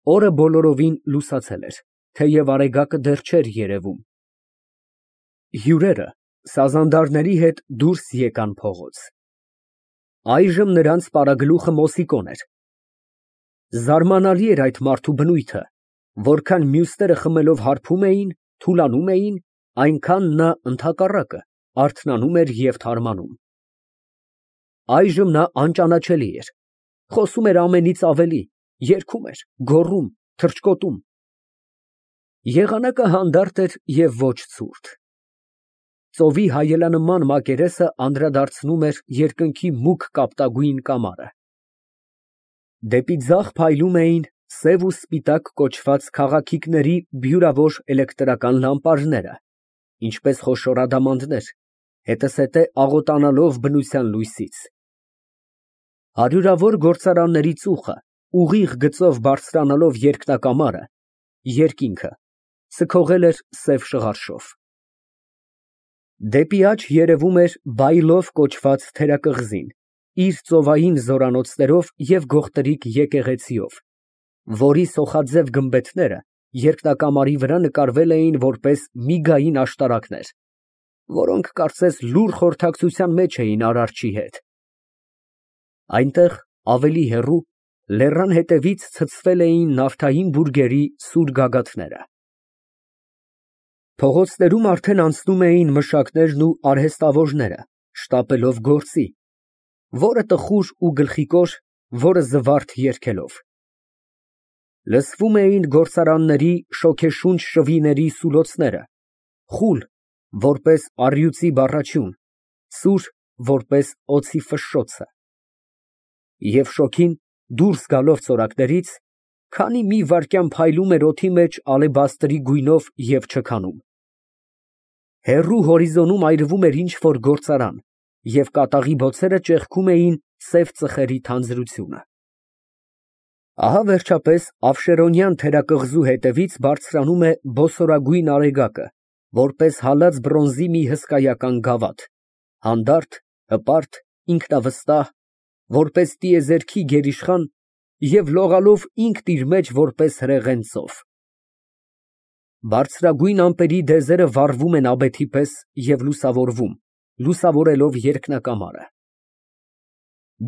Օրը բոլորովին լուսացել էր, թեև արեգակը դեռ չէր երևում։ Հյուրերը սազանդարների հետ դուրս եկան փողոց։ Այժմ նրանց պարագլուխը Մոսիկոն էր։ Զարմանալի էր այդ մարդու բնույթը, որքան մյուսները խմելով հարբում էին, թուլանում էին, այնքան նա ընդհակառակը արթնանում էր և թարմանում։ Այժմ նա անճանաչելի էր, խոսում էր ամենից ավելի, երգում էր, գոռում, թռչկոտում։ Եղանակը հանդարտ էր և ոչ ցուրտ։ Ծովի հայելանման մակերեսը անդրադարձնում էր երկնքի մուգ կապտագույն կամարը։ Դեպի ձախ փայլում էին սև ու սպիտակ կոչված քաղաքիքների բյուրավոր էլեկտրական լամպարները, ինչպես խոշոր ադամանդներ, հետզհետե աղոտանալով բնության լույսից։ Հարյուրավոր գործարանների ծուխը, ուղիղ գծով բարձրանալով երկնակամարը, երկինքը, սքողել էր սև շղարշով։ Դեպի աջ երևում էր Բայլով կոչված թերակղզին, իր ծովային զորանոցներով և գողտրիկ եկեղեցիով, որի սոխաձև գմբեթները երկնակամարի վրա նկարվել էին որպես միգային աշտարակներ, որոնք կարծես լուռ խորհրդակցության մեջ էին Արարչի հետ։ Այնտեղ, ավելի հեռու, լեռան ետևից ցցվել էին նավթային բուրգերի սուր գագաթները։ Փողոցներում արդեն անցնում էին մշակներն ու արհեստավորները, շտապելով գործի, որը տխուր ու գլխիկոր, որը զվարթ երգելով։ Լսվում էին գործարանների շոգեշունչ շվիների սուլոցները, խուլ, որպես առյուծի բառաչյուն, սուր, որպես օձի ֆշշոցը։ Եվ շոգին, դուրս գալով ծորակներից, քանի մի վայրկյան փայլում էր օդի մեջ ալեբաստրի գույնով և չքանում։ Հեռու հորիզոնում այրվում էր ինչ֊որ գործարան, և կատաղի բոցերը ճեղքում էին սև ծխերի թանձրությունը։ Ահա, վերջապես, Ավշերոնյան թերակղզու հետևից բարձրանում է բոսորագույն արեգակը, որպես հալած բրոնզի մի հսկայական գավաթ, հանդարտ, հպարտ, ինքնավստահ, որպես տիեզերքի գերիշխան և լողալով ինքն իր մեջ որպես հրեղեն ծով։ Բարձրագույն ամպերի դեզերը վառվում են աբեթի պես և լուսավորվում, լուսավորելով երկնակամարը։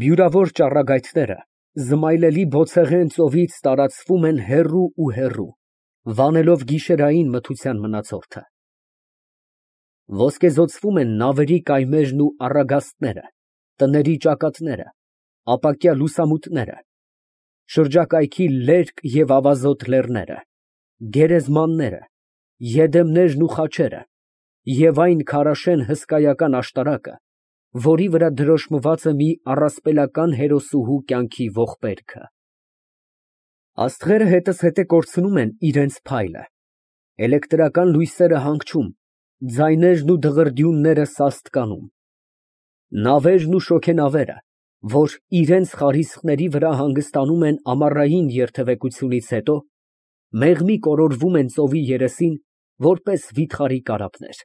Բյուրավոր ճառագայթները զմայլելի բոցեղեն ծովից տարածվում են հեռու ու հեռու, վանելով գիշերային մթության մնացորդը։ Ոսկեզօծվում են նավերի կայմերն ու առագաստները, տների ճակատները, ապակյա լուսամուտները, շրջակայքի լերկ և ավազոտ լեռները, գերեզմանները, եդեմներն ու խաչերը և այն քարաշեն հսկայական աշտարակը, որի վրա դրոշմված է մի առասպելական հերոսուհու կյանքի ողբերգը։ Աստղերը հետզհետե կորցնում են իրենց փայլը, էլեկտրական լույսերը հանգչում, ձայներն ու դղրդյունները սաստկանում։ Նավերն ու շոգենավերը, որ իրենց խարիսխների վրա հանգստանում են ամառային երթևեկությունից հետո, մեղմի կորորվում են ծովի երեսին, որպես վիթխարի կարապներ։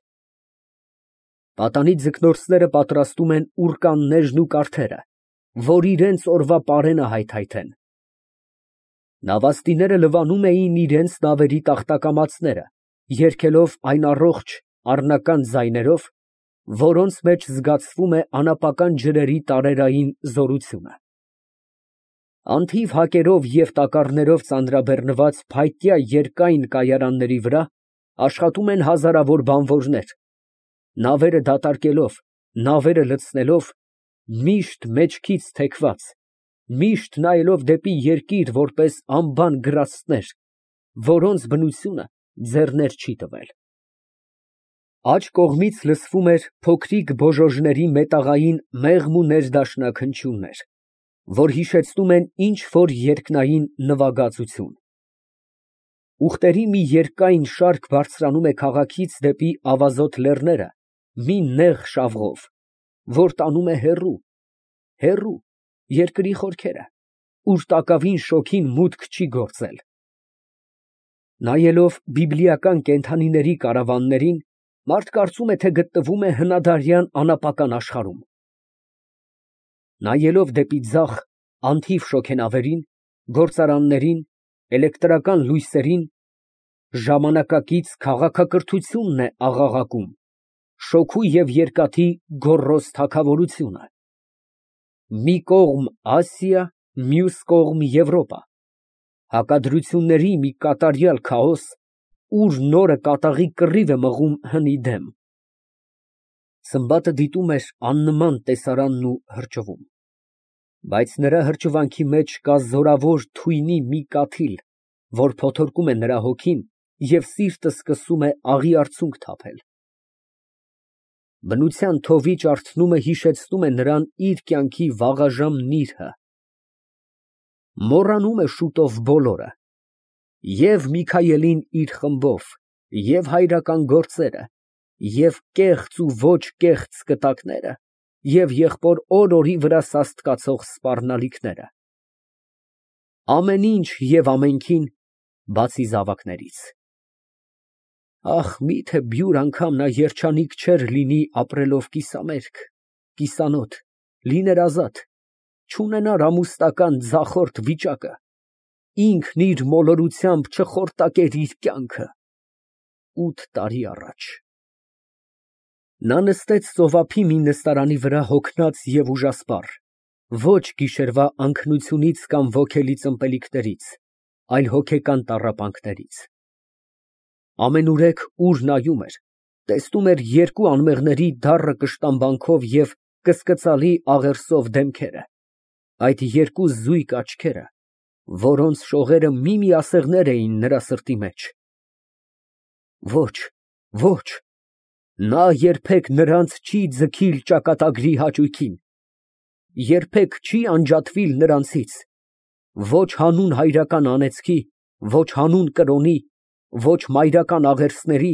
Պատանի ձկնորսները պատրաստում են ուռկաններն ու կարթերը, որ իրենց օրվա պարենը հայթայթեն։ Նավաստիները լվանում էին իրենց նավերի տախտակամածները, երգելով այն առողջ, առնական ձայներով, որոնց մեջ զգացվում է անապական ջրերի տարերային զորությունը։ Անթիվ հակերով և տակառներով ծանրաբեռնված փայտյա երկայն կայարանների վրա աշխատում են հազարավոր բանվորներ, նավերը դատարկելով, նավերը լցնելով, միշտ մեջքից թեքված, միշտ նայելով դեպի երկիր որպես անբան գրաստներ, որոնց բնությունը ձեռներ չի տվել։ Աջ կողմից լսվում էր փոքրիկ բոժոժների մետաղային մեղմ ու ներդաշնակ հնչյուններ, որ հիշեցնում են ինչ֊որ երկնային նվագածություն։ Ուղտերի մի երկայն շարք բարձրանում է քաղաքից դեպի ավազոտ լեռները մի նեղ շավղով, որ տանում է հեռու, հեռու, երկրի խորքերը, ուր տակավին շոգին մուտք չի գործել։ Նայելով բիբլիական կենդանիների կարավաններին, մարդ կարծում է, թե գտնվում է հնադարյան անապական աշխարհում։ Նայելով դեպի ձախ, անթիվ շոգենավերին, գործարաններին, էլեկտրական լույսերին ժամանակակից քաղաքակրթությունն է աղաղակում, շոգու և երկաթի գոռոզ թագավորությունը։ Մի կողմ Ասիա, մյուս կողմ Եվրոպա, հակադրությունների մի կատարյալ քաոս, ուր նորը կատաղի կռիվ է մղում հնի դեմ։ Սմբատը դիտում էր աննման տեսարանն ու հրճվում, բայց նրա հրճվանքի մեջ կա զորավոր թույնի մի կաթիլ, որ փոթորկում է նրա հոգին և սիրտը սկսում է աղի արցունք թափել։ Բնության թովի ջարդնումը հիշեցնում է նրան իր կյանքի վաղաժամ նիրհը։ Մոռանում է շուտով բոլորը, և Միքայելին իր խմբով, և հայրական գործերը, և կեղծ ու ոչ կեղծ կտակները, և եղբոր օր֊օրի վրա սաստկացող սպառնալիքները։ Ամեն ինչ և ամենքին, բացի զավակներից։ Ախ, միթե բյուր անգամ նա երջանիկ չէր լինի ապրելով կիսամերկ, կիսանոթ, լիներ ազատ, չունենար ամուսնական ձախորդ վիճակը, ինքն իր մոլորությամբ չխորտակեր իր կյանքը։ 8 տարի առաջ։ Նա նստեց ծովափի մի նստարանի վրա հոգնած և ուժասպառ, ոչ գիշերվա անքնությունից կամ ոգելից ըմպելիքներից, այլ հոգեկան տառապանքներից։ Ամենուրեք, ուր նայում էր, տեսնում էր երկու անմեղների դառը կշտամբանքով և կսկծալի աղերսով դեմքերը, այդ երկու զույգ աչքերը, որոնց շողերը մի ասեղներ էին նրա սրտի մեջ։ Ոչ, ոչ, նա երբեք նրանց չի ձգիլ ճակատագրի հաճույքին, երբեք չի անջատվիլ նրանցից, ոչ հանուն հայրական անեծքի, ոչ հանուն կրոնի, ոչ մայրական աղերսների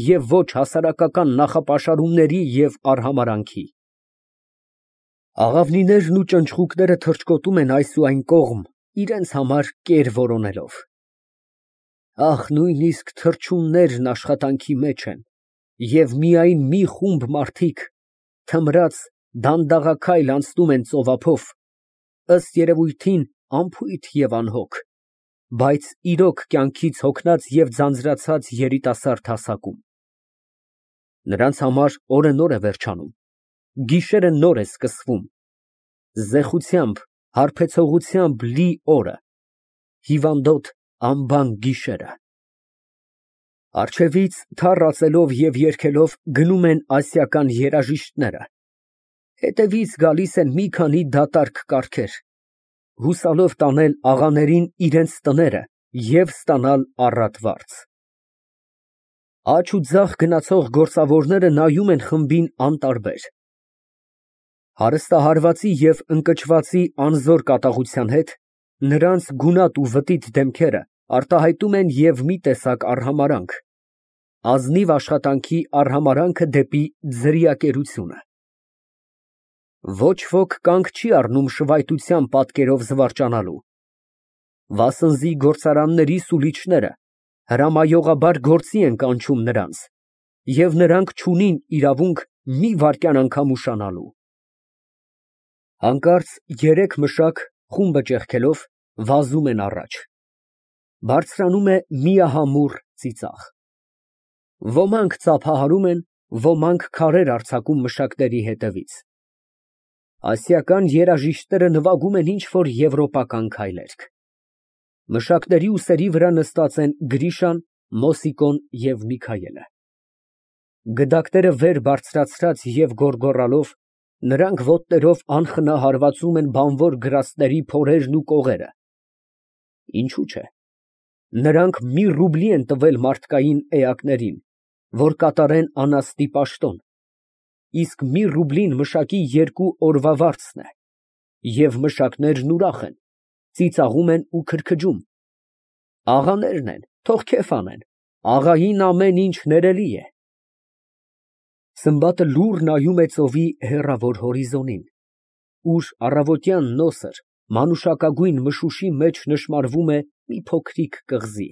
և ոչ հասարակական նախապաշարումների և արհամարհանքի։ Աղավնիներն ու ճնճղուկները թռչկոտում են այս ու այն կողմ, իրենց համար կեր որոնելով։ Ախ, նույնիսկ թռչուններն աշխատանքի մեջ են, և միայն մի խումբ մարդիկ թմրած դանդաղաքայլ անցնում են ծովափով, ըստ երևույթին անփույթ և անհոգ, բայց իրոք կյանքից հոգնած և ձանձրացած երիտասարդ հասակում։ Նրանց համար օրը նոր է վերջանում, գիշերը նոր է սկսվում, զեխությամբ, հարբեցողությամբ լի օրը, հիվանդոտ անբան գիշերը։ Առջևից թառ ածելով և երգելով գնում են ասիական երաժիշտները, հետևից գալիս են մի քանի դատարկ կառքեր, հուսալով տանել աղաներին իրենց տները և ստանալ առատ վարձ։ Աջ ու ձախ գնացող գործավորները նայում են խմբին անտարբեր։ Հարստահարվածի և ընկճվածի անզոր կատաղության հետ նրանց գունատ ու վտիտ դեմքերը արտահայտում են և մի տեսակ արհամարհանք, ազնիվ աշխատանքի արհամարհանքը դեպի ձրիակերությունը։ Ոչ ոք կանգ չի առնում շվայտության պատկերով զվարճանալու։ Վասնզի գործարանների սուլիչները հրամայողաբար գործի են կանչում նրանց, և նրանք չունին իրավունք մի վայրկյան անգամ ուշանալու։ Հանկարծ երեք մշակ, խումբը ճեղքելով, վազում են առաջ։ Բարձրանում է միահամուռ ծիծաղ։ Ոմանք ծափահարում են, ոմանք քարեր արձակում մշակների հետևից։ Ասիական երաժիշտները նվագում են ինչ֊որ եվրոպական քայլերգ։ Մշակների ուսերի վրա նստած են Գրիշան, Մոսիկոն և Միքայելը։ Գդակները վեր բարձրացրած և գոռգոռալով, նրանք ոտներով անխնա հարվածում են բանվոր գրաստների փորերն ու կողերը։ Ինչու՞ չէ։ Նրանք մի ռուբլի են տվել մարդկային էակներին, որ կատարեն անասնի պաշտոն, իսկ մի ռուբլին մշակի 2 օրվա վարձն է, և մշակներն ուրախ են, ծիծաղում են ու քրքջում։ Աղաներն են, թող քեֆ անեն, աղային ամեն ինչ ներելի է։ Սմբատը լուռ նայում է ծովի հեռավոր հորիզոնին, ուր առավոտյան նոսր, մանուշակագույն մշուշի մեջ նշմարվում է մի փոքրիկ կղզի։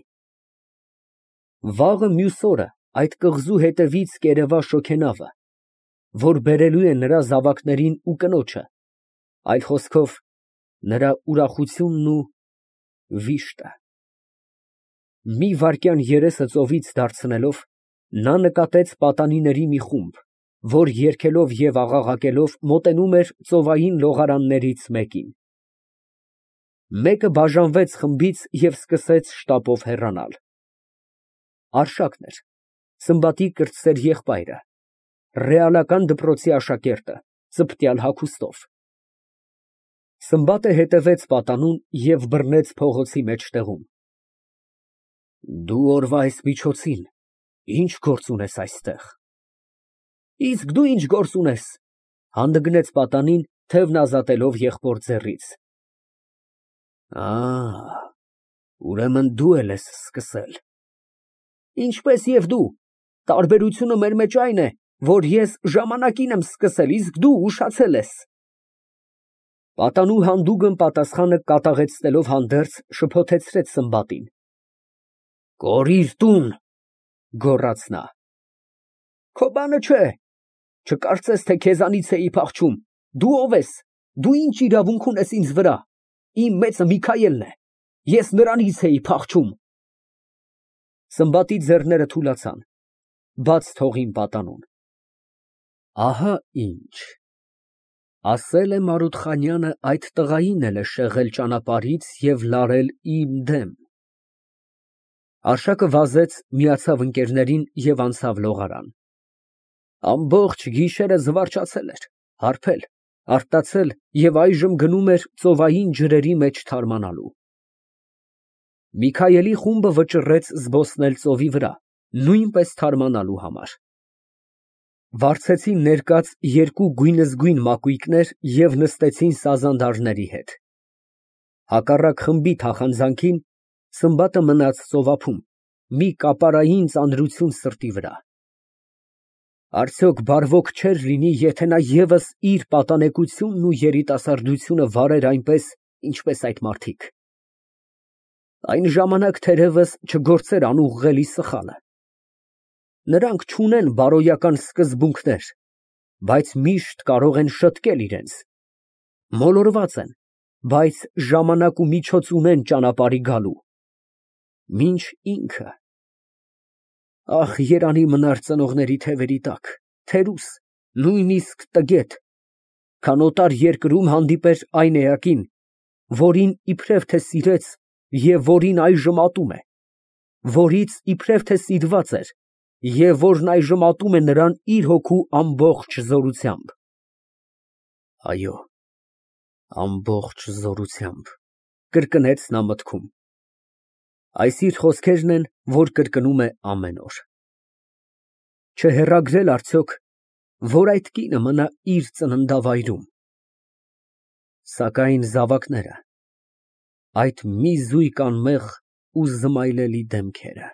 Վաղը մյուս օրը այդ կղզու հետևից կերևա շոգենավը, որ բերելու է նրա զավակներին ու կնոջը, այլ խոսքով, նրա ուրախությունն ու վիշտը։ Մի վայրկյան երեսը ծովից դարձնելով, նա նկատեց պատանիների մի խումբ, որ երգելով և աղաղակելով մոտենում էր ծովային լողարաններից մեկին։ Մեկը բաժանվեց խմբից և սկսեց շտապով հեռանալ։ Արշակն էր, Սմբատի կրտսեր եղբայրը, ռեալական դպրոցի աշակերտը, ծպտյալ հագուստով։ Սմբատը հետևեց պատանուն և բռնեց փողոցի մեջտեղում։ Դու օրվա այս միջոցին ի՞նչ գործ ունես այստեղ։ Իսկ դու ի՞նչ գործ ունես, հանդգնեց պատանին, թևն ազատելով եղբոր ձեռքից։ Ուրեմն դու էլ ես սկսել։ Ինչպես և դու, տարբերությունը մեր մեջ այն է, որ ես ժամանակին եմ սկսել, իսկ դու ուշացել ես։ Պատանու հանդուգն պատասխանը կատաղեցնելով հանդերձ, շփոթեցրեց Սմբատին։ Կորիր տուն, գոռաց նա։ Քո բանը չէ, չկարծես, թե քեզանից էի փախչում, դու ո՞վ ես, դու ի՞նչ իրավունք ունես ինձ վրա, իմ մեծը Միքայելն է, ես նրանից էի փախչում։ Սմբատի ձեռները թուլացան, բաց թողին պատանուն։ Ահա ինչ, ասել է Մարութխանյանը այդ տղային էլ է շեղել ճանապարհից և լարել իմ դեմ։ Արշակը վազեց, միացավ ընկերներին և անցավ լողարան։ Ամբողջ գիշերը զվարճացել էր, հարբել, արտացել և այժմ գնում էր ծովային ջրերի մեջ թարմանալու։ Միքայելի խումբը վճռեց զբոսնել ծովի վրա, նույնպես թարմանալու համար։ Վարձեցին ներկած երկու գույնզգույն մակույկներ և նստեցին սազանդարների հետ։ Հակառակ խմբի թախանձանքին Սմբատը մնաց ծովափում, մի կապարային ծանրություն սրտի վրա։ Արդյոք բարվոք չէր լինի, եթե նա ևս իր պատանեկությունն ու երիտասարդությունը վարեր այնպես, ինչպես այդ մարդիկ։ Այն ժամանակ թերևս չգործեր անուղղելի սխալը։ Նրանք չունեն բարոյական սկզբունքներ, բայց միշտ կարող են շտկել իրենց, մոլորված են, բայց ժամանակ ու միջոց ունեն ճանապարհի գալու, մինչ ինքը… Ահ, երանի մնար ծնողների թևերի տակ, թերուս, նույնիսկ տգետ, քան օտար երկրում հանդիպեր այն էակին, որին իբրև թե սիրեց և որին այժմ ատում է, որից իբրև թե սիրված էր և որն այժմ ատում է նրան իր հոգու ամբողջ զորությամբ։ Այո, ամբողջ զորությամբ, կրկնեց նա մտքում։ Այս իր խոսքերն են, որ կրկնում է ամեն օր։ Չհեռագրե՞լ արդյոք, որ այդ կինը մնա իր ծննդավայրում։ Սակայն զավակները, այդ մի զույգ անմեղ ու զմայլելի դեմքերը…